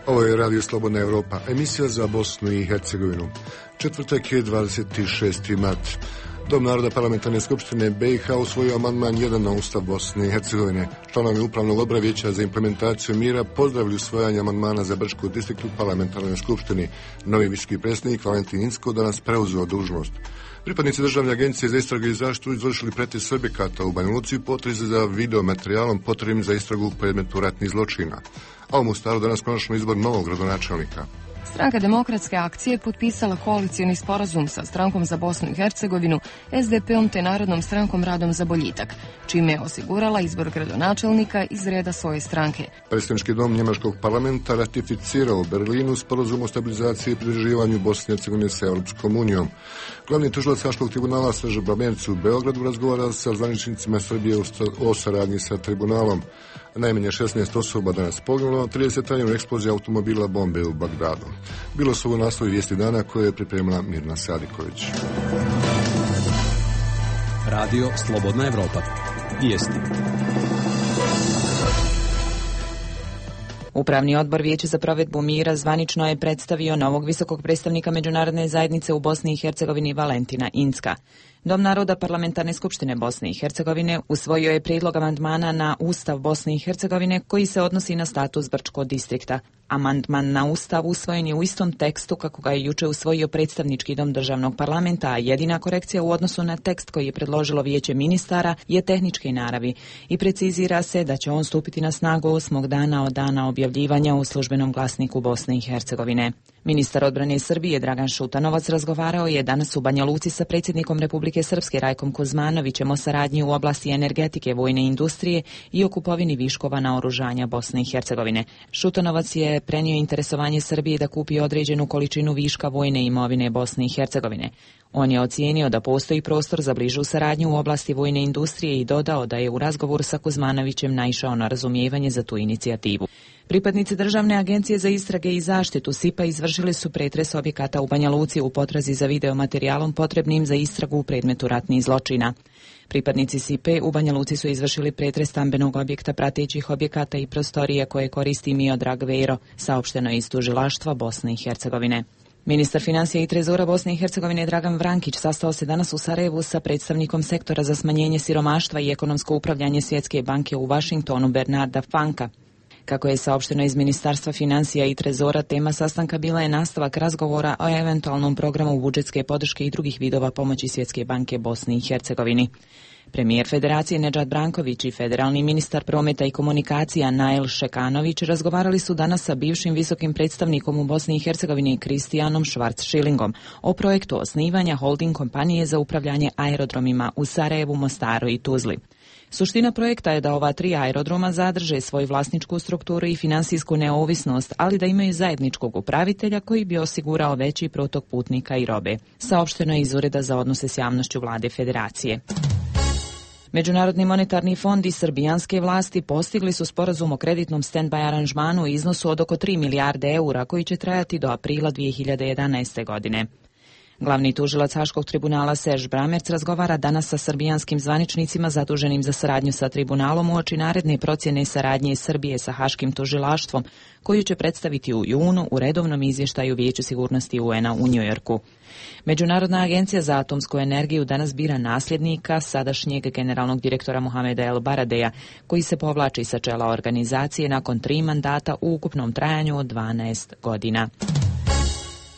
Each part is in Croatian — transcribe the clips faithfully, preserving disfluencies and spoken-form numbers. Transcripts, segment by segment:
Ovo je Radio Slobodna Evropa, emisija za Bosnu i Hercegovinu. Četvrtak je dvadeset šesti mart. Dom naroda Parlamentarne skupštine B i H usvojio amandman jedan na Ustav Bosne i Hercegovine. Članovi Upravnog odbora Vijeća za implementaciju mira pozdravili usvajanje amandmana za Brčku distriktu Parlamentarne skupštine. Novi visoki predsjednik Valentin Incko danas preuzeo dužnost. Pripadnici Državne agencije za istragu i zaštitu izvršili pretres objekata u Banja Luci u potrazi za videomaterijalom potrebnim za istragu u predmetu ratnih zločina. A u Mostaru danas konačno izbor novog gradonačelnika. Stranka Demokratske akcije potpisala koalicioni sporazum sa Strankom za Bosnu i Hercegovinu, S D P-om te Narodnom strankom Radom za boljitak, čime je osigurala izbor gradonačelnika iz reda svoje stranke. Predstavnički dom Njemačkog parlamenta ratificirao u Berlinu sporazum o stabilizaciji i pridruživanju Bosne i Hercegovine sa Europskom unijom. Glavni tužilac Haškog tribunala Srđan Bramerc u Beogradu razgovara sa zvaničnicima Srbije o saradnji sa tribunalom. Najmanje šesnaest osoba danas poginulo, trideset ranjeno eksplozija automobila bombe u Bagdadu. Bilo su ovo naslovi vijesti dana koje je pripremila Mirna Sadiković. Radio Slobodna Evropa. Vijesti. Upravni odbor Vijeća za provedbu mira zvanično je predstavio novog visokog predstavnika međunarodne zajednice u Bosni i Hercegovini Valentina Incka. Dom naroda Parlamentarne skupštine Bosne i Hercegovine usvojio je prijedlog amandmana na Ustav Bosne i Hercegovine koji se odnosi na status Brčkog distrikta. Amandman na Ustav usvojen je u istom tekstu kako ga je juče usvojio predstavnički dom državnog parlamenta, a jedina korekcija u odnosu na tekst koji je predložilo Vijeće ministara je tehničke naravi i precizira se da će on stupiti na snagu osmog dana od dana objavljivanja u službenom glasniku Bosne i Hercegovine. Ministar odbrane Srbije Dragan Šutanovac razgovarao je danas u Banja Luci sa predsjednikom Republike Srpske Rajkom Kuzmanovićem o saradnji u oblasti energetike, vojne industrije i o kupovini viškova naoružanja Bosne i Hercegovine. Šutanovac je prenio interesovanje Srbije da kupi određenu količinu viška vojne imovine Bosne i Hercegovine. On je ocijenio da postoji prostor za bližu saradnju u oblasti vojne industrije i dodao da je u razgovoru sa Kuzmanovićem naišao na razumijevanje za tu inicijativu. Pripadnici Državne agencije za istrage i zaštitu S I P-a izvršili su pretres objekata u Banja Luci u potrazi za videomaterijalom potrebnim za istragu u predmetu ratnih zločina. Pripadnici S I P-a u Banja Luci su izvršili pretres stambenog objekta, pratećih objekata i prostorije koje koristi Miodrag Vero, saopšteno iz tužilaštva Bosne i Hercegovine. Ministar financija i trezora Bosne i Hercegovine Dragan Vrankić sastao se danas u Sarajevu sa predstavnikom sektora za smanjenje siromaštva i ekonomsko upravljanje Svjetske banke u Vašingtonu Bernarda Fanka. Kako je saopšteno iz Ministarstva financija i trezora, tema sastanka bila je nastavak razgovora o eventualnom programu budžetske podrške i drugih vidova pomoći Svjetske banke Bosni i Hercegovini. Premijer Federacije Nedžad Branković i federalni ministar prometa i komunikacija Nail Šekanović razgovarali su danas sa bivšim visokim predstavnikom u Bosni i Hercegovini Kristijanom Švarc-Šilingom o projektu osnivanja holding kompanije za upravljanje aerodromima u Sarajevu, Mostaru i Tuzli. Suština projekta je da ova tri aerodroma zadrže svoju vlasničku strukturu i finansijsku neovisnost, ali da imaju zajedničkog upravitelja koji bi osigurao veći protok putnika i robe. Saopšteno je iz Ureda za odnose s javnošću Vlade Federacije. Međunarodni monetarni fond i srbijanske vlasti postigli su sporazum o kreditnom stand-by aranžmanu u iznosu od oko tri milijarde eura koji će trajati do aprila dvije hiljade jedanaeste. godine. Glavni tužilac Haškog tribunala Serž Bramerc razgovara danas sa srbijanskim zvaničnicima zaduženim za saradnju sa tribunalom uoči naredne procjene saradnje Srbije sa Haškim tužilaštvom, koju će predstaviti u junu u redovnom izvještaju Vijeća sigurnosti U N-a u Njujorku. Međunarodna agencija za atomsku energiju danas bira nasljednika sadašnjeg generalnog direktora Mohameda El Baradeja, koji se povlači sa čela organizacije nakon tri mandata u ukupnom trajanju od dvanaest godina.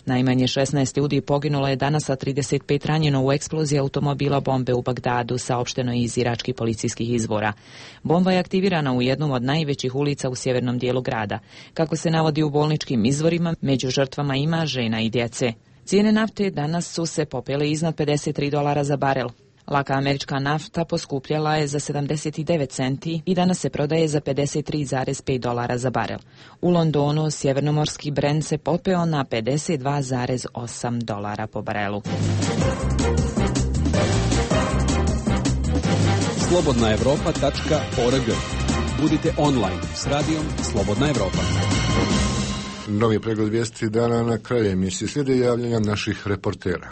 Najmanje šesnaest ljudi poginulo je danas, a trideset pet ranjeno u eksploziji automobila bombe u Bagdadu, saopšteno iz iračkih policijskih izvora. Bomba je aktivirana u jednom od najvećih ulica u sjevernom dijelu grada. Kako se navodi u bolničkim izvorima, među žrtvama ima žena i djece. Cijene nafte danas su se popele iznad pedeset tri dolara za barel. Laka američka nafta poskupljala je za sedamdeset devet centi i danas se prodaje za pedeset tri zarez pet dolara za barel. U Londonu sjevernomorski Brent se popeo na pedeset dva zarez osam dolara po barelu. slobodna evropa tačka org. Budite online s radijom Slobodna Evropa. Novi pregled vijesti dana na kraju emisije. Slijede javljanja naših reportera.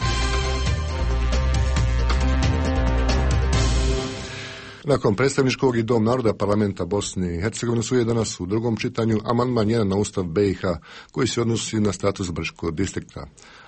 Nakon predstavničkog i Dom naroda parlamenta Bosne i Hercegovine su je danas u drugom čitanju amandman jedan na Ustav B i H koji se odnosi na status Brčkog distrikta.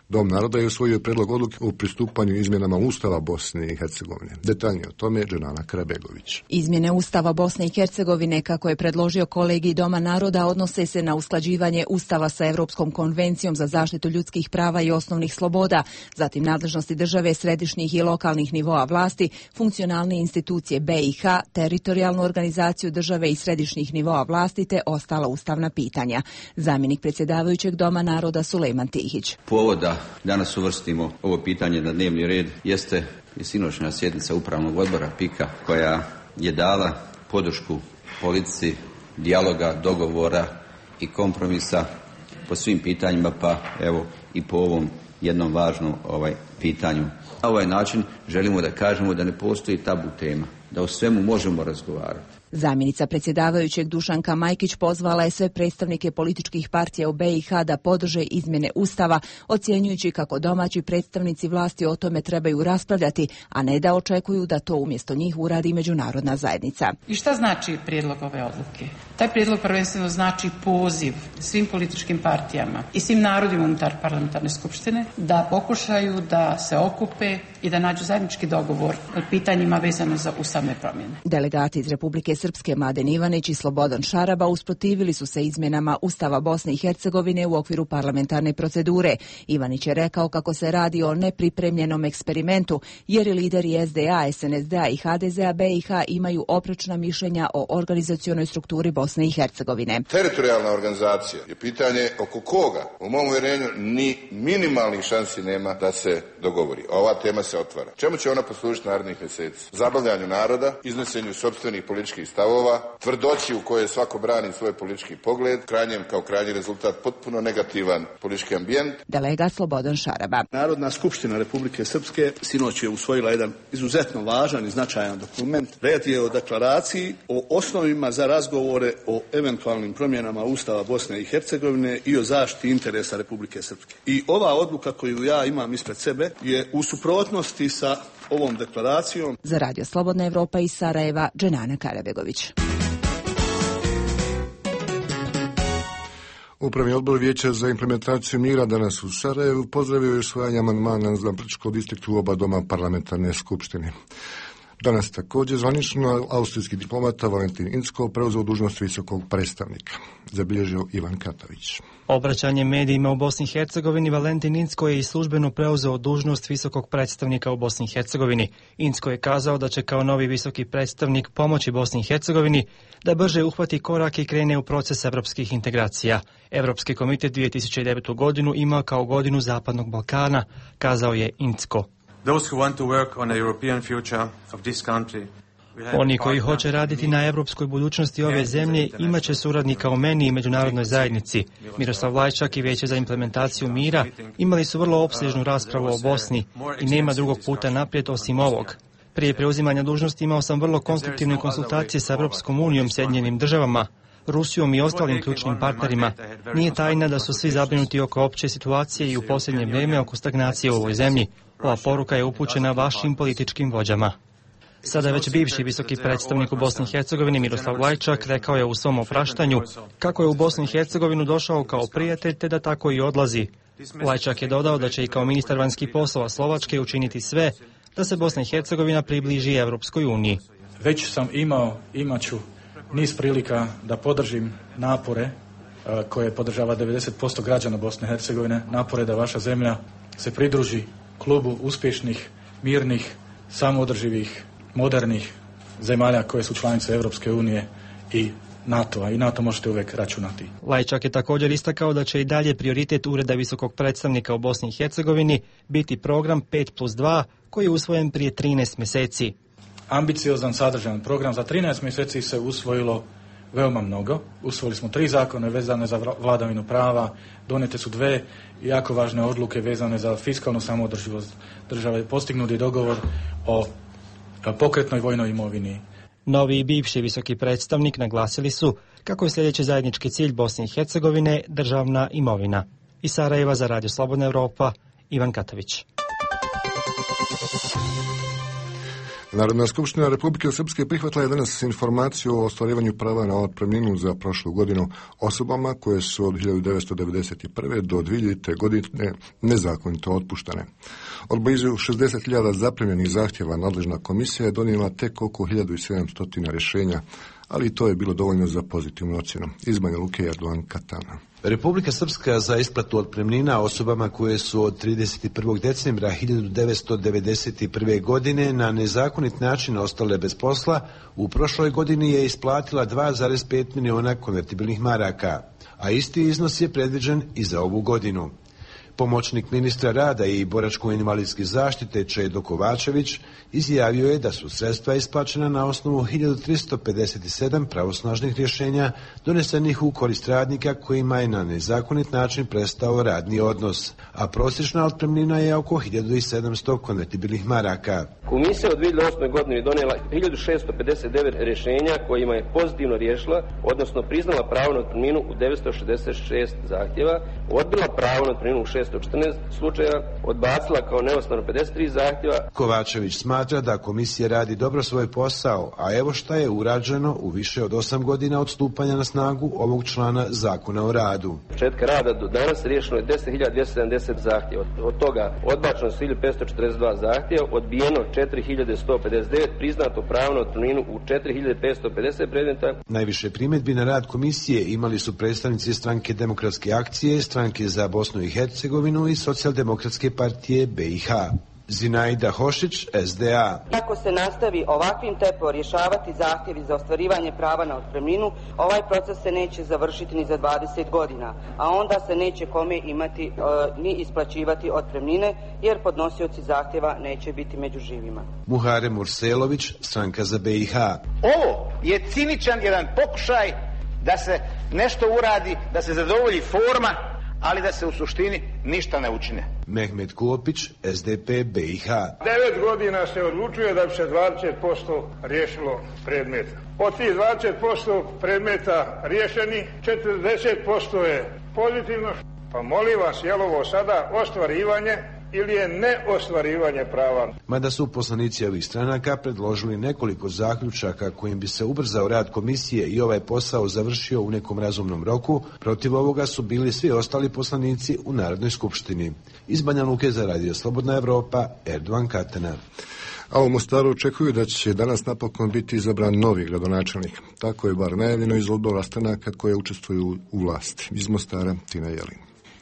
Dom naroda je usvojio predlog odluke o pristupanju izmjenama Ustava Bosne i Hercegovine. Detaljnije o tome Dženana Krabegović. Izmjene Ustava Bosne i Hercegovine, kako je predložio kolegij Doma naroda, odnose se na usklađivanje Ustava sa Europskom konvencijom za zaštitu ljudskih prava i osnovnih sloboda, zatim nadležnosti države, središnjih i lokalnih nivoa vlasti, funkcionalne institucije B i H, teritorijalnu organizaciju države i središnjih nivoa vlasti te ostala ustavna pitanja. Zamjenik predsjedavajućeg Doma naroda Sulejman Tihić. Povoda danas uvrstimo ovo pitanje na dnevni red jeste i sinoćna sjednica upravnog odbora P I K-a koja je dala podršku politici dijaloga, dogovora i kompromisa po svim pitanjima, pa evo i po ovom jednom važnom ovaj pitanju. Na ovaj način želimo da kažemo da ne postoji tabu tema, da o svemu možemo razgovarati. Zamjenica predsjedavajućeg Dušanka Majkić pozvala je sve predstavnike političkih partija u B i H da podrže izmjene Ustava, ocjenjujući kako domaći predstavnici vlasti o tome trebaju raspravljati, a ne da očekuju da to umjesto njih uradi međunarodna zajednica. I šta znači prijedlog ove odluke? Taj prijedlog prvenstveno znači poziv svim političkim partijama i svim narodima unutar parlamentarne skupštine da pokušaju da se okupe i da nađu zajednički dogovor o pitanjima vezano za ustavne promjene. Delegati iz Republike Srpske Mladen Ivanić i Slobodan Šaraba usprotivili su se izmjenama Ustava Bosne i Hercegovine u okviru parlamentarne procedure. Ivanić je rekao kako se radi o nepripremljenom eksperimentu, jer i lideri S D A, S N S D-a i H D Z-a B i H imaju oprečna mišljenja o organizacionoj strukturi Bosne i Hercegovine. Teritorijalna organizacija je pitanje oko koga, u mom uvjerenju, ni minimalnih šansi nema da se dogovori. Ova tema se otvara. Čemu će ona poslužiti narednih mjeseci? Zabavljanju naroda, iznosenju sopstvenih političkih stavova, tvrdoći u kojoj svako brani svoj politički pogled, krajnjem kao krajnji rezultat potpuno negativan politički ambijent. Delegat Slobodan Šaraba. Narodna skupština Republike Srpske sinoć je usvojila jedan izuzetno važan i značajan dokument. Riječ je o deklaraciji o osnovima za razgovore o eventualnim promjenama Ustava Bosne i Hercegovine i o zaštiti interesa Republike Srpske. I ova odluka koju ja imam ispred sebe je u suprotnosti sa ovom deklaracijom. Za Radio Slobodna Evropa iz Sarajeva, Dženana Karabegović. Upravni odbor Vijeća za implementaciju mira danas u Sarajevu pozdravio je usvajanje amandmana za Brčkog distriktu u oba doma parlamentarne skupštine. Danas također zvanično austrijski diplomata Valentin Incko preuzeo dužnost visokog predstavnika, zabilježio Ivan Katavić. Obraćanjem medijima u Bosni i Hercegovini, Valentin Incko je i službeno preuzeo dužnost visokog predstavnika u Bosni i Hercegovini. Incko je kazao da će kao novi visoki predstavnik pomoći Bosni i Hercegovini da brže uhvati korak i krene u proces evropskih integracija. Evropski komitet dvije tisuće devetu godinu ima kao godinu Zapadnog Balkana, kazao je Incko. Oni koji hoće raditi na evropskoj budućnosti ove zemlje imat će suradnika u meni i međunarodnoj zajednici. Miroslav Lajčak i Vijeće za implementaciju mira imali su vrlo opsežnu raspravu o Bosni i nema drugog puta naprijed osim ovog. Prije preuzimanja dužnosti imao sam vrlo konstruktivne konsultacije sa Europskom unijom, Sjedinjenim državama, Rusijom i ostalim ključnim partnerima. Nije tajna da su svi zabrinuti oko opće situacije i u posljednje vrijeme oko stagnacije u ovoj zemlji. Ova poruka je upućena vašim političkim vođama. Sada već bivši visoki predstavnik u Bosni i Hercegovini Miroslav Lajčak rekao je u svom opraštanju kako je u Bosnu i Hercegovinu došao kao prijatelj te da tako i odlazi. Lajčak je dodao da će i kao ministar vanjskih poslova Slovačke učiniti sve da se Bosna i Hercegovina približi Evropskoj uniji. Već sam imao, imat ću niz prilika da podržim napore koje podržava devedeset posto građana Bosne i Hercegovine, napore da vaša zemlja se pridruži klubu uspješnih, mirnih, samoodrživih, modernih zemalja koje su članice Europske unije i NATO-a i NATO možete uvijek računati. Lajčak je također istakao da će i dalje prioritet Ureda visokog predstavnika u Bosni i Hercegovini biti program pet plus dva koji je usvojen prije trinaest mjeseci. Ambiciozan, sadržajan program. Za trinaest mjeseci se usvojilo veoma mnogo. Usvojili smo tri zakone vezane za vladavinu prava, donijete su dve jako važne odluke vezane za fiskalnu samoodrživost države, postignuti dogovor o pokretnoj vojnoj imovini. Novi i bivši visoki predstavnik naglasili su kako je sljedeći zajednički cilj Bosne i Hercegovine državna imovina. Iz Sarajeva za Radio Slobodna Evropa, Ivan Katavić. Narodna skupština Republike Srpske prihvatila je danas informaciju o ostvarivanju prava na otpremninu za prošlu godinu osobama koje su od hiljadu devetsto devedeset prve do dvije hiljade godine nezakonito otpuštane. Od blizu šezdeset hiljada zaprimljenih zahtjeva nadležna komisija je donijela tek oko hiljadu sedamsto rješenja, ali to je bilo dovoljno za pozitivnu ocjenu. Iz Banja Luke, Erdogan Katana. Republika Srpska za isplatu otpremnina osobama koje su od trideset prvog decembra hiljadu devetsto devedeset prve. godine na nezakonit način ostale bez posla, u prošloj godini je isplatila dva zarez pet miliona konvertibilnih maraka, a isti iznos je predviđen i za ovu godinu. Pomoćnik ministra rada i boračko-invalidske zaštite Čedo Kovačević izjavio je da su sredstva isplaćena na osnovu hiljadu tristo pedeset sedam pravosnažnih rješenja donesenih u korist radnika kojima je na nezakonit način prestao radni odnos, a prosječna otpremnina je oko hiljadu sedamsto konvertibilnih maraka. Komisija od dvije hiljade osme. godine donijela hiljadu šesto pedeset devet rješenja kojima je pozitivno riješila, odnosno priznala pravo na otpremninu u devetsto šezdeset šest zahtjeva, odbila pravo na otpremninu u šesto četrnaest slučajeva, odbacila kao neosnovano pedeset tri zahtjeva. Kovačević smatra da komisija radi dobro svoj posao, a evo šta je urađeno u više od osam godina od stupanja na snagu ovog člana Zakona o radu. Od početka rada do danas riješeno je deset hiljada dvjesto sedamdeset zahtjeva. Od toga odbačeno su hiljadu petsto četrdeset dva zahtjeva, odbijeno četiri hiljade sto pedeset devet, priznato pravo na otpremninu u četiri hiljade petsto pedeset predmeta. Najviše primjedbi na rad komisije imali su predstavnici Stranke demokratske akcije, Stranke za Bosnu i Hercegovinu i Socijaldemokratske partije B i H. Zinaida Hošić, S D A. Ako se nastavi ovakvim tempom rješavati zahtjevi za ostvarivanje prava na otpremninu, ovaj proces se neće završiti ni za dvadeset godina, a onda se neće kome imati e, ni isplaćivati otpremnine, jer podnosioci zahtjeva neće biti među živima. Muhare Murselović, Stranka za B i H. Ovo je ciničan jedan pokušaj da se nešto uradi, da se zadovolji forma, ali da se u suštini ništa ne učine. Mehmet Klopić, S D P B i H. Devet godina se odlučuje da bi se dvadeset posto riješilo predmeta. Od tih dvadeset posto predmeta riješeni, četrdeset posto je pozitivno. Pa molim vas, je li ovo sada ostvarivanje ili je neostvarivanje prava? Mada su poslanici ovih stranaka predložili nekoliko zaključaka kojim bi se ubrzao rad komisije i ovaj posao završio u nekom razumnom roku, protiv ovoga su bili svi ostali poslanici u Narodnoj skupštini. Iz Banja Luke za Radio Slobodna Evropa, Erdogan Katana. A u Mostaru očekuju da će danas napokon biti izabran novi gradonačelnik. Tako je bar najavljeno iz odbora stranaka koje učestvuju u vlasti. Iz Mostara, Tina Jelin.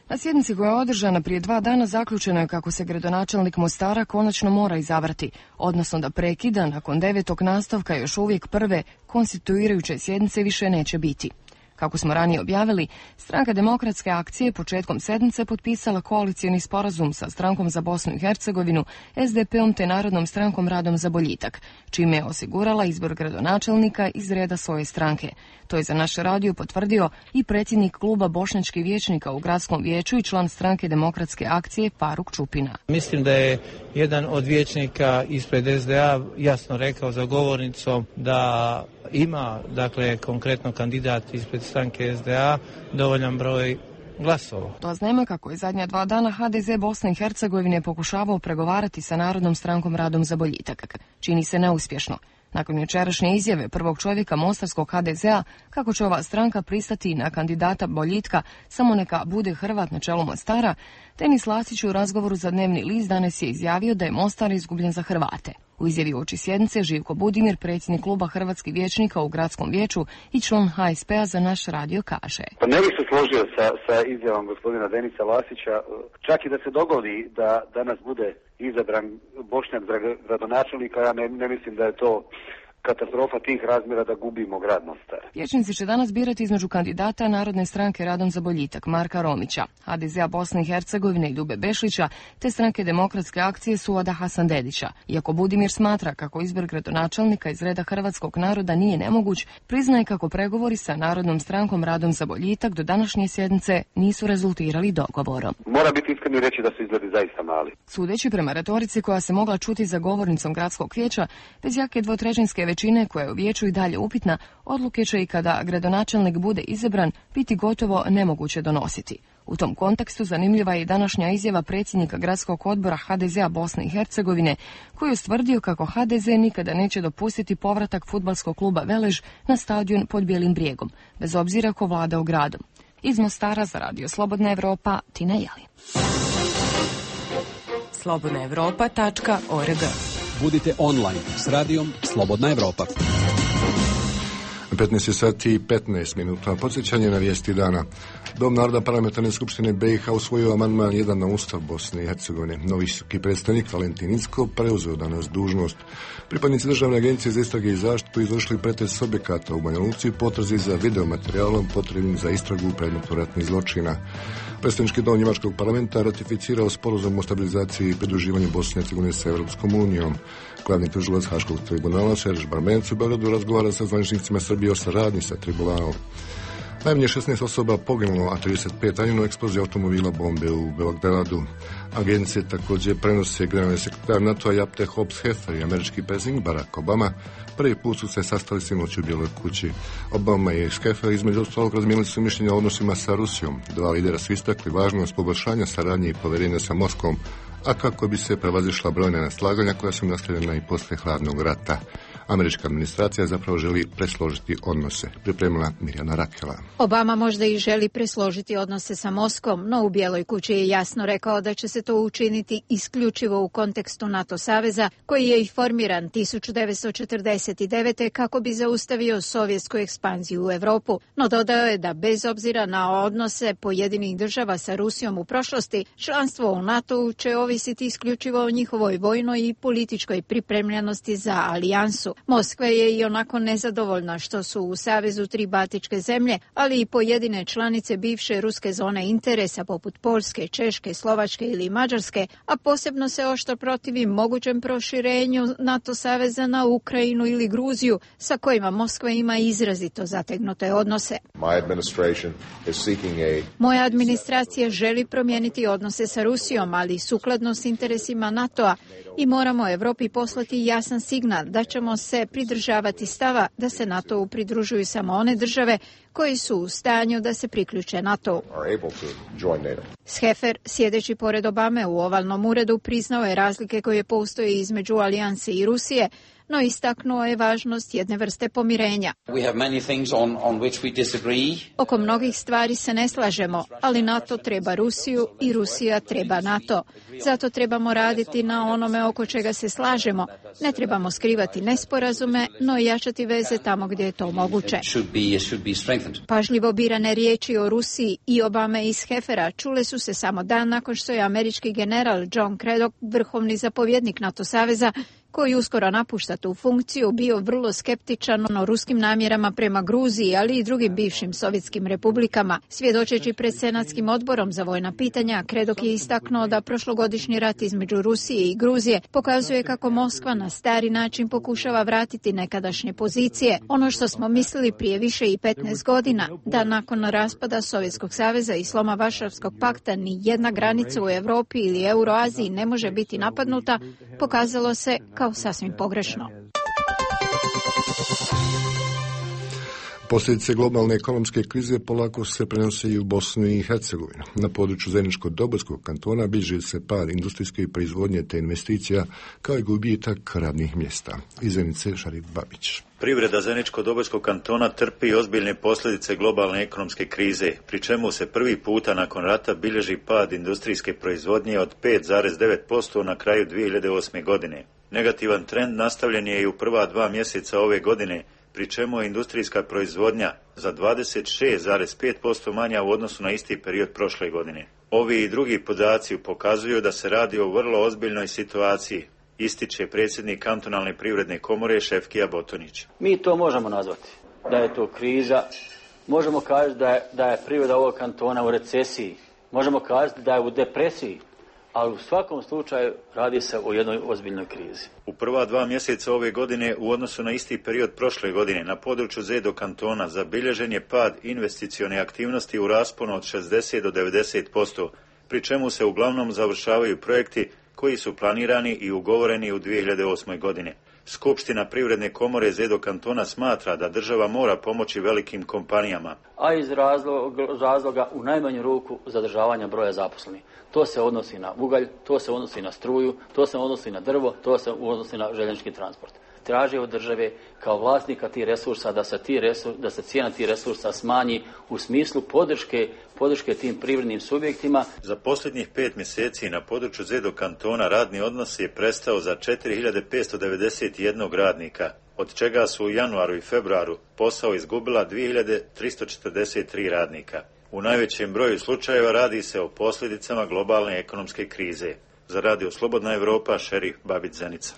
Na sjednici koja je održana prije dva dana zaključeno je kako se gradonačelnik Mostara konačno mora izabrati, odnosno da prekida nakon devetog nastavka još uvijek prve konstituirajuće sjednice više neće biti. Kako smo ranije objavili, Stranka demokratske akcije početkom sedmice potpisala koalicijni sporazum sa Strankom za Bosnu i Hercegovinu, S D P-om te Narodnom strankom Radom za boljitak, čime je osigurala izbor gradonačelnika iz reda svoje stranke. To je za naš radio potvrdio i predsjednik kluba bošnjačkih vijećnika u gradskom vijeću i član Stranke demokratske akcije Faruk Čupina. Mislim da je jedan od vijećnika ispred S D A jasno rekao za govornicom da ima, dakle, konkretno kandidat ispred stranke S D A dovoljan broj glasova. To znamo kako je zadnja dva dana H D Z Bosne i Hercegovine pokušavao pregovarati sa Narodnom strankom Radom za boljitak. Čini se neuspješno. Nakon jučerašnje izjave prvog čovjeka mostarskog H D Z-a kako će ova stranka pristati na kandidata boljitka samo neka bude Hrvat na čelu Mostara, Denis Lasić u razgovoru za Dnevni list danas je izjavio da je Mostar izgubljen za Hrvate. U izjavi uoči sjednice Živko Budimir, predsjednik kluba hrvatskih vijećnika u gradskom vijeću i član H S P-a za naš radio kaže. Pa ne bih se složio sa, sa izjavom gospodina Denisa Lasića, čak i da se dogodi da danas bude izabran Bošnjak za gradonačelnika, ja ne, ne mislim da je to katastrofa tih razmjera da gubimo grad Mostar. Vijećnici će danas birati između kandidata Narodne stranke Radom za boljitak Marka Romića, H D Z-a Bosne i Hercegovine i Ljube Bešlića, te Stranke demokratske akcije Suada Hasandedića. Iako Budimir smatra kako izbor gradonačelnika iz reda hrvatskog naroda nije nemoguć, priznaje kako pregovori sa Narodnom strankom Radom za boljitak do današnje sjednice nisu rezultirali dogovorom. Mora biti iskren i reći da su izgledi zaista mali. Sudeći prema retorici koja se mogla čuti za govornicom gradskog vijeća, bez jake dvotrećinske većine koja je u vijeću i dalje upitna, odluke će i kada gradonačelnik bude izabran biti gotovo nemoguće donositi. U tom kontekstu zanimljiva je i današnja izjava predsjednika gradskog odbora ha de zea Bosne i Hercegovine, koji je ustvrdio kako ha de ze nikada neće dopustiti povratak fudbalskog kluba Velež na stadion pod Bijelim brijegom, bez obzira ko vlada u gradom. Iz Mostara za Radio Slobodna Evropa, Tina Jeli. slobodna evropa tačka org. Budite online s radijom Slobodna Evropa. petnaest sati i petnaest minuta. Podsjećanje na vijesti dana. Dom naroda parlamentarne skupštine be i ha usvojio amandman jedan na Ustav Bosne i Hercegovine. Novi visoki predstavnik Valentin Incko preuzeo danas dužnost. Pripadnici Državne agencije za istrage i zaštitu izvršili pretres objekata u Banja Luci i potrazi za videomaterijalom potrebnim za istragu u predmetu ratnih zločina. Predstavnički dom njemačkog parlamenta ratificirao sporazum o stabilizaciji i pridruživanju Bosne i Hercegovine sa Evropskom unijom. Glavni tužilac Haškog tribunala Serž Barmenc u Beogradu razgovara sa zvaničnicima Srbije o saradnji sa tribunalom. Najmanje šesnaest osoba poginulo, a trideset pet ranjeno u eksploziji automobila bombe u Beogradu. Agencije također prenose generalni sekretar NATO-a Japte Hobbs-Heffer i američki predsjednik Barack Obama. Prvi put su se sastali sinoć u Bijeloj kući. Obama i Heffer između ostalog razmijenili su mišljenja o odnosima sa Rusijom. Dva lidera su istakli važnost poboljšanja saradnje i povjerenja sa Moskvom, a kako bi se prevazišla brojna neslaganja koja su nastavljena i poslije hladnog rata. Američka administracija zapravo želi presložiti odnose, pripremila Mirjana Rakela. Obama možda i želi presložiti odnose sa Moskvom, no u Bijeloj kući je jasno rekao da će se to učiniti isključivo u kontekstu NATO saveza, koji je i formiran tisuću devetsto četrdeset devete. kako bi zaustavio sovjetsku ekspanziju u Europu, no dodao je da bez obzira na odnose pojedinih država sa Rusijom u prošlosti, članstvo u NATO-u će ovisiti isključivo o njihovoj vojnoj i političkoj pripremljenosti za alijansu. Moskva je i onako nezadovoljna što su u savezu tri baltičke zemlje, ali i pojedine članice bivše ruske zone interesa poput Poljske, Češke, Slovačke ili Mađarske, a posebno se oštro protivi mogućem proširenju NATO saveza na Ukrajinu ili Gruziju, sa kojima Moskva ima izrazito zategnute odnose. Moja administracija želi promijeniti odnose sa Rusijom, ali sukladno s interesima NATO-a, i moramo Evropi poslati jasan signal da ćemo se pridržavati stava da se NATO-u pridružuju samo one države koji su u stanju da se priključe NATO-u. Heffer, sjedeći pored Obame u ovalnom uredu, priznao je razlike koje postoje između alijanse i Rusije, no istaknuo je važnost jedne vrste pomirenja. On, on Oko mnogih stvari se ne slažemo, ali NATO treba Rusiju i Rusija treba NATO. Zato trebamo raditi na onome oko čega se slažemo. Ne trebamo skrivati nesporazume, no i jačati veze tamo gdje je to moguće. Pažljivo birane riječi o Rusiji i Obame iz Heffera čule su se samo dan nakon što je američki general John Craddock, vrhovni zapovjednik NATO saveza, koji uskoro napušta tu funkciju, bio vrlo skeptičan o ruskim namjerama prema Gruziji, ali i drugim bivšim sovjetskim republikama. Svjedočeći pred Senatskim odborom za vojna pitanja, Craddock je istaknuo da prošlogodišnji rat između Rusije i Gruzije pokazuje kako Moskva na stari način pokušava vratiti nekadašnje pozicije. Ono što smo mislili prije više i petnaest godina, da nakon raspada Sovjetskog saveza i sloma Varšavskog pakta ni jedna granica u Europi ili Euroaziji ne može biti napadnuta, pokazalo se kao sasvim pogrešno. Posljedice globalne ekonomske krize polako se prenose i u Bosnu i Hercegovinu. Na području Zeničko-Dobojskog kantona bilježi se pad industrijske proizvodnje te investicija, kao i gubitak radnih mjesta. Iz Zenice Šarif Babić. Privreda Zeničko-Dobojskog kantona trpi ozbiljne posljedice globalne ekonomske krize, pri čemu se prvi puta nakon rata bilježi pad industrijske proizvodnje od pet zarez devet posto na kraju dvije hiljade osme. godine. Negativan trend nastavljen je i u prva dva mjeseca ove godine, pri čemu je industrijska proizvodnja za dvadeset šest zarez pet posto manja u odnosu na isti period prošle godine. Ovi i drugi podaci pokazuju da se radi o vrlo ozbiljnoj situaciji, ističe predsjednik kantonalne privredne komore Šefkija Botonić. Mi to možemo nazvati da je to kriza, možemo kazati da je, da je privreda ovog kantona u recesiji, možemo kazati da je u depresiji, ali u svakom slučaju radi se o jednoj ozbiljnoj krizi. U prva dva mjeseca ove godine u odnosu na isti period prošle godine na području Zedo kantona zabilježen je pad investicione aktivnosti u rasponu od šezdeset do devedeset posto, pri čemu se uglavnom završavaju projekti koji su planirani i ugovoreni u dvije hiljade osmoj. godini. Skupština Privredne komore Zedo kantona smatra da država mora pomoći velikim kompanijama, a iz razloga, razloga u najmanju ruku zadržavanja broja zaposlenih. To se odnosi na ugalj, to se odnosi na struju, to se odnosi na drvo, to se odnosi na željeznički transport. Traži od države kao vlasnika tih resursa da se, ti resurs, da se cijena tih resursa smanji u smislu podrške, podrške tim privrednim subjektima. Za posljednjih pet mjeseci na području Zedo kantona radni odnos je prestao za četiri hiljade petsto devedeset jedan radnika, od čega su u januaru i februaru posao izgubila dvije hiljade tristo četrdeset tri radnika. U najvećem broju slučajeva radi se o posljedicama globalne ekonomske krize. Za Radio Slobodna Evropa, Šerif Babić Zenica.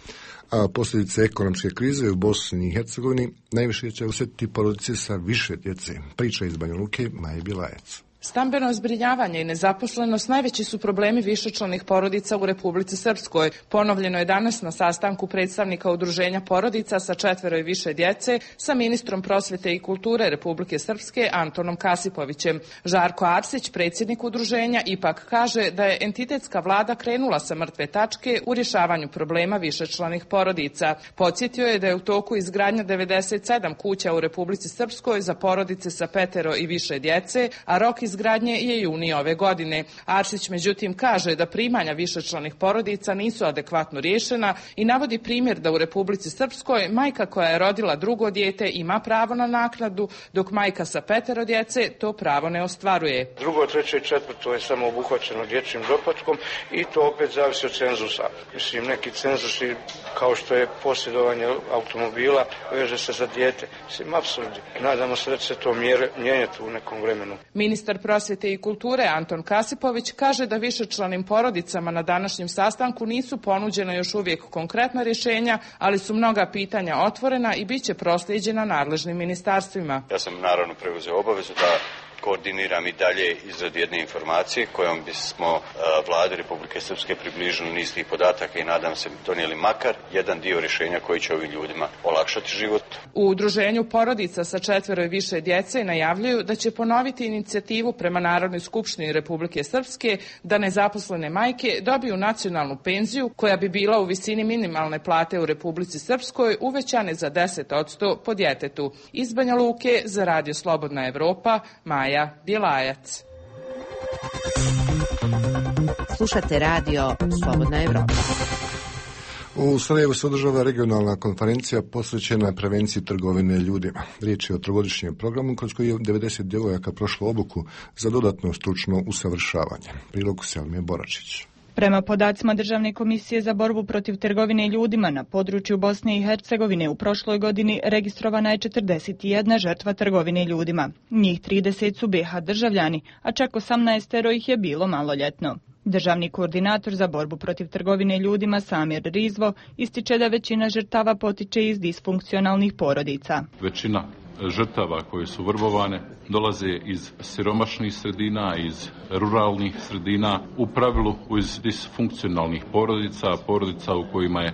A posljedice ekonomske krize u Bosni i Hercegovini najviše će osjetiti porodice sa više djece. Priča iz Banja Luke, Maja Bilajac. Stambeno zbrinjavanje i nezaposlenost najveći su problemi višečlanih porodica u Republici Srpskoj. Ponovljeno je danas na sastanku predstavnika udruženja porodica sa četvero i više djece sa ministrom prosvjete i kulture Republike Srpske Antonom Kasipovićem. Žarko Arsić, predsjednik udruženja, ipak kaže da je entitetska vlada krenula sa mrtve tačke u rješavanju problema višečlanih porodica. Podsjetio je da je u toku izgradnja devedeset sedam kuća u Republici Srpskoj za porodice sa petero i više djece, a rok izgradnje je juni ove godine. Arsić međutim kaže da primanja višečlanih porodica nisu adekvatno riješena i navodi primjer da u Republici Srpskoj majka koja je rodila drugo dijete ima pravo na naknadu, dok majka sa petero djece to pravo ne ostvaruje. Drugo, treće i četvrto je samo obuhvaćeno dječjim doplatkom i to opet zavisi od cenzusa. Mislim, neki cenzusi kao što je posjedovanje automobila veže se za dijete. Mislim, apsurdi. Nadamo se da će se to mijenjati u nekom vremenu. Ministar prosvjete i kulture Anton Kasipović kaže da višečlanim porodicama na današnjem sastanku nisu ponuđena još uvijek konkretna rješenja, ali su mnoga pitanja otvorena i bit će proslijeđena nadležnim ministarstvima. Ja sam naravno preuzeo obavezu da koordiniram i dalje izradu jedne informacije kojom bismo vladi Republike Srpske približili niz tih podataka i nadam se donijeli makar jedan dio rješenja koji će ovim ljudima olakšati život. U udruženju porodica sa četvero i više djece najavljuju da će ponoviti inicijativu prema Narodnoj skupštini Republike Srpske da nezaposlene majke dobiju nacionalnu penziju koja bi bila u visini minimalne plate u Republici Srpskoj uvećane za deset posto po djetetu. Iz Banja Luke za Radio Slobodna Evropa, Maja Bjelajac. Slušate Radio Slobodna Evropa. U Sarajevu se održava regionalna konferencija posvećena prevenciji trgovine ljudima. Riječ je o trogodišnjem programu kroz koji je devedeset djevojaka prošlo obuku za dodatno stručno usavršavanje. Prilog Selmije Boračić. Prema podacima Državne komisije za borbu protiv trgovine ljudima na području Bosne i Hercegovine u prošloj godini registrovana je četrdeset jedna žrtva trgovine ljudima. Njih trideset su be ha državljani, a čak osamnaest ih je bilo maloljetno. Državni koordinator za borbu protiv trgovine ljudima Samir Rizvo ističe da većina žrtava potiče iz disfunkcionalnih porodica. Većina žrtava koje su vrbovane dolaze iz siromašnih sredina, iz ruralnih sredina, u pravilu iz disfunkcionalnih porodica, porodica u kojima je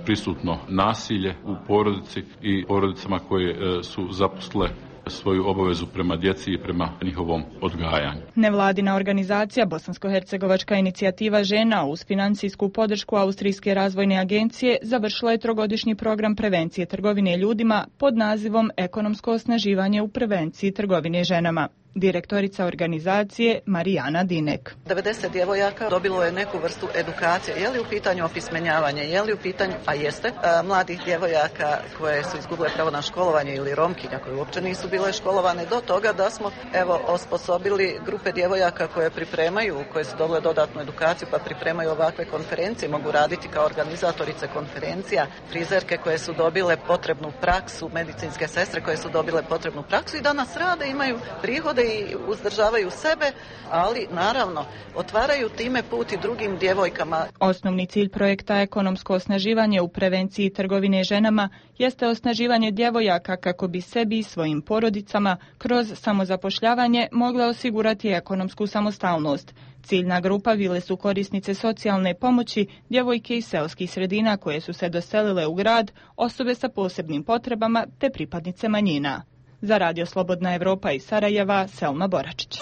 prisutno nasilje u porodici i porodicama koje su zaposlile svoju obavezu prema djeci i prema njihovom odgajanju. Nevladina organizacija Bosansko-hercegovačka inicijativa žena uz financijsku podršku Austrijske razvojne agencije završila je trogodišnji program prevencije trgovine ljudima pod nazivom Ekonomsko osnaživanje u prevenciji trgovine ženama. Direktorica organizacije Marijana Dinek. devedeset djevojaka dobilo je neku vrstu edukacije. Je li u pitanju opismenjavanje, je li u pitanju, a jeste, a, mladih djevojaka koje su izgubile pravo na školovanje ili romkinja koje uopće nisu bile školovane, do toga da smo evo osposobili grupe djevojaka koje pripremaju, koje su dobile dodatnu edukaciju pa pripremaju ovakve konferencije, mogu raditi kao organizatorice konferencija, frizerke koje su dobile potrebnu praksu, medicinske sestre koje su dobile potrebnu praksu i danas rade, imaju prihode i uzdržavaju sebe, ali naravno otvaraju time put i drugim djevojkama. Osnovni cilj projekta Ekonomsko osnaživanje u prevenciji trgovine ženama jeste osnaživanje djevojaka kako bi sebi i svojim porodicama kroz samozapošljavanje mogle osigurati ekonomsku samostalnost. Ciljna grupa bile su korisnice socijalne pomoći, djevojke iz seoskih sredina koje su se doselile u grad, osobe sa posebnim potrebama te pripadnice manjina. Za Radio Slobodna Evropa iz Sarajeva, Selma Boračić.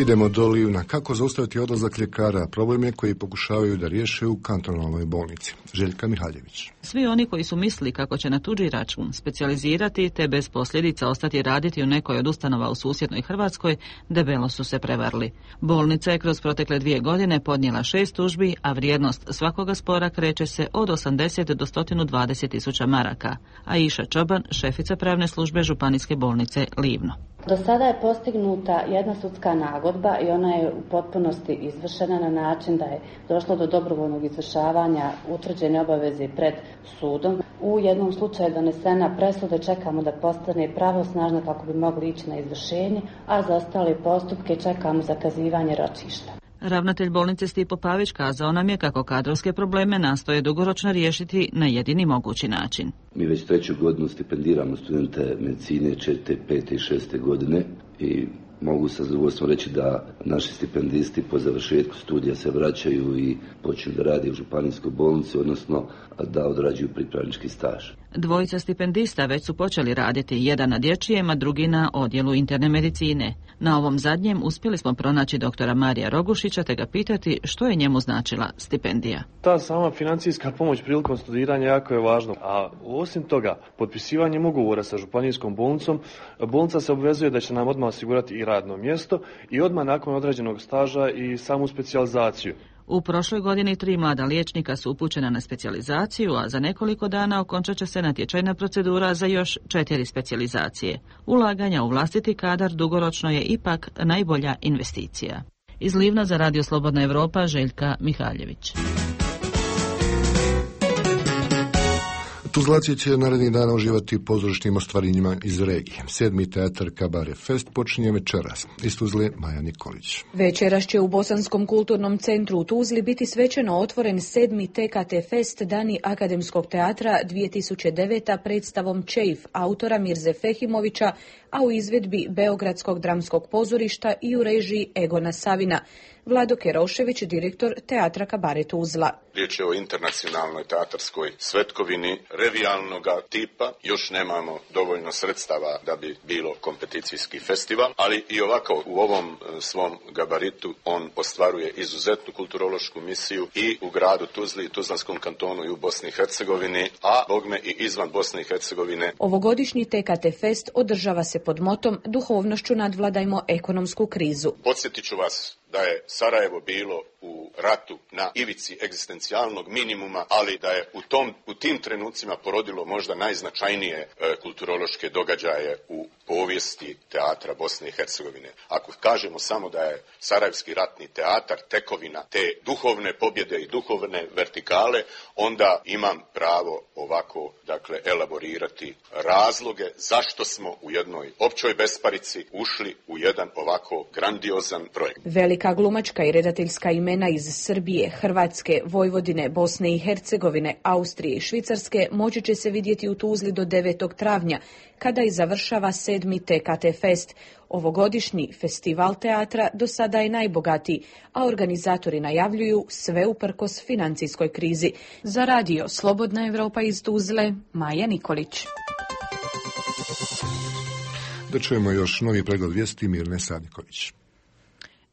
Idemo do Livna. Kako zaustaviti odlazak ljekara? Problem je koji pokušavaju da riješe u kantonalnoj bolnici. Željka Mihaljević. Svi oni koji su mislili kako će na tuđi račun specijalizirati te bez posljedica ostati raditi u nekoj od ustanova u susjednoj Hrvatskoj, debelo su se prevarili. Bolnica je kroz protekle dvije godine podnijela šest tužbi, a vrijednost svakoga spora kreće se od osamdeset do sto dvadeset tisuća maraka. Aisha Čoban, šefica pravne službe Županijske bolnice Livno. Do sada je postignuta jedna sudska nagodba i ona je u potpunosti izvršena na način da je došlo do dobrovoljnog izvršavanja utvrđene obaveze pred sudom. U jednom slučaju je donesena presuda, čekamo da postane pravosnažna kako bi mogli ići na izvršenje, a za ostale postupke čekamo zakazivanje ročišta. Ravnatelj bolnice Stipo Pavić kazao nam je kako kadrovske probleme nastoje dugoročno riješiti na jedini mogući način. Mi već treću godinu stipendiramo studente medicine četvrte, pete i šeste godine i mogu sa zadovoljstvom reći da naši stipendisti po završetku studija se vraćaju i počinju da rade u županijskoj bolnici, odnosno da odrađuju pripravnički staž. Dvojica stipendista već su počeli raditi, jedan na dječjem, a drugi na odjelu interne medicine. Na ovom zadnjem uspjeli smo pronaći doktora Marija Rogušića te ga pitati što je njemu značila stipendija. Ta sama financijska pomoć prilikom studiranja jako je važna, a osim toga, potpisivanjem ugovora sa županijskom bolnicom, bolnica se obvezuje da će nam odmah osigurati i radno mjesto i odmah nakon određenog staža i samu specijalizaciju. U prošloj godini tri mlada liječnika su upućena na specijalizaciju, a za nekoliko dana okončat će se natječajna procedura za još četiri specijalizacije. Ulaganja u vlastiti kadar dugoročno je ipak najbolja investicija. Iz Livna za Radio Slobodna Evropa, Željka Mihaljević. Tuzlaci će narednih dana uživati u pozorišnim ostvarenjima iz regije. Sedmi teatar Kabare Fest počinje večeras. Iz Tuzle Maja Nikolić. Večeras će u Bosanskom kulturnom centru u Tuzli biti svečano otvoren sedmi T K T Fest Dani akademskog teatra dvije tisuće deveta predstavom Čejf autora Mirze Fehimovića, a u izvedbi Beogradskog dramskog pozorišta i u režiji Egona Savina. Vlado Kerošević, direktor teatra Kabare Tuzla. Riječ je o internacionalnoj teatarskoj svetkovini revijalnog tipa. Još nemamo dovoljno sredstava da bi bilo kompeticijski festival, ali i ovako u ovom svom gabaritu on ostvaruje izuzetnu kulturološku misiju i u gradu Tuzli, i Tuzlanskom kantonu i u Bosni i Hercegovini, a bogme i izvan Bosne i Hercegovine. Ovogodišnji T K T Fest održava se pod motom Duhovnošću nadvladajmo ekonomsku krizu. Podsjetit ću vas da je Sarajevo bilo u ratu na ivici egzistencijalnog minimuma, ali da je u, tom, u tim trenucima porodilo možda najznačajnije e, kulturološke događaje u povijesti teatra Bosne i Hercegovine. Ako kažemo samo da je Sarajevski ratni teatar tekovina te duhovne pobjede i duhovne vertikale, onda imam pravo ovako, dakle, elaborirati razloge zašto smo u jednoj općoj besparici ušli u jedan ovako grandiozan projekt. Velika glumačka i redateljska imena iz Srbije, Hrvatske, Vojvodine, Bosne i Hercegovine, Austrije i Švicarske moći će se vidjeti u Tuzli do devetog travnja, kada i završava sedmi T K T Fest. Ovogodišnji festival teatra do sada je najbogatiji, a organizatori najavljuju sve uprkos financijskoj krizi. Za radio Slobodna Evropa iz Tuzle, Maja Nikolić. Da čujemo još novi pregled vijesti Mirne Sadiković.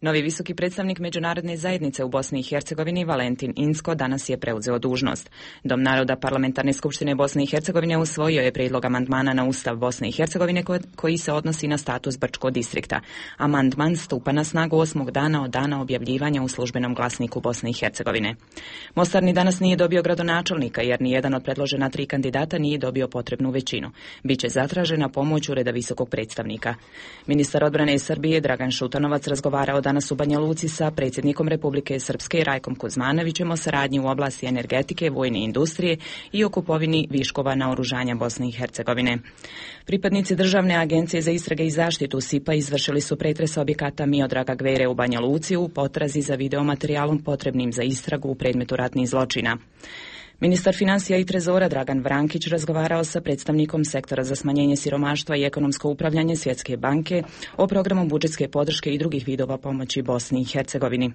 Novi visoki predstavnik međunarodne zajednice u Bosni i Hercegovini Valentin Inzko danas je preuzeo dužnost. Dom naroda Parlamentarne skupštine Bosne i Hercegovine usvojio je prijedlog amandmana na Ustav Bosne i Hercegovine koji se odnosi na status Brčko distrikta. Amandman stupa na snagu osmog dana od dana objavljivanja u službenom glasniku Bosne i Hercegovine. Mostar ni danas nije dobio gradonačelnika jer nijedan od predložena tri kandidata nije dobio potrebnu većinu. Biće zatražena pomoć ureda visokog predstavnika. Ministar odbrane Srbije Dragan Šutanovac razgovarao danas u Banja Luci sa predsjednikom Republike Srpske Rajkom Kuzmanovićem o saradnji u oblasti energetike, vojne industrije i o kupovini viškova naoružanja Bosne i Hercegovine. Pripadnici Državne agencije za istrage i zaštitu S I P-a izvršili su pretres objekata Miodraga Gvere u Banja Luci u potrazi za videomaterijalom potrebnim za istragu u predmetu ratnih zločina. Ministar financija i trezora Dragan Vrankić razgovarao sa predstavnikom sektora za smanjenje siromaštva i ekonomsko upravljanje Svjetske banke o programu budžetske podrške i drugih vidova pomoći Bosni i Hercegovini.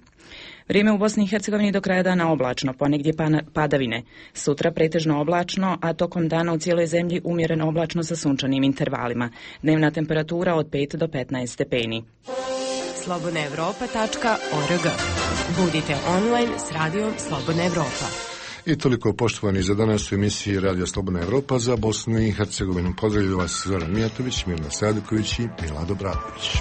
Vrijeme u Bosni i Hercegovini do kraja dana oblačno, ponegdje padavine. Sutra pretežno oblačno, a tokom dana u cijeloj zemlji umjereno oblačno sa sunčanim intervalima. Dnevna temperatura od pet do petnaest stepeni. slobodna evropa tačka org. Budite online s radijom Slobodna Evropa. I toliko poštovani za danas u emisiji Radio Slobodna Evropa za Bosnu i Hercegovinu. Pozdravljaju vas Zoran Mijatović, Mirna Saduković i Milado Bradović.